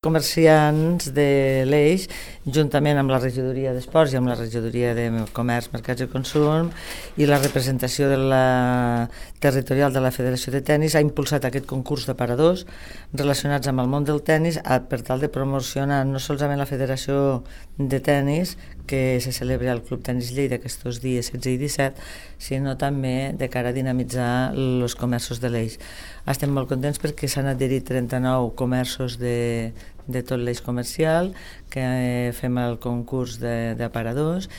Comerciants de l'Eix, juntament amb la regidoria d'Esports i amb la regidoria de Comerç, Mercats i Consum i la representació de la territorial de la Federació de Tenis, ha impulsat aquest concurs d'aparadors relacionats amb el món del tenis per tal de promocionar no solament la Federació de Tenis, que se celebra al Club Tenis Lleida aquests dies 16 i 17, sinó també de cara a dinamitzar els comerços de l'Eix. Estem molt contents perquè s'han adherit 39 comerços de tot l'eix comercial, que fem el concurs d'aparadors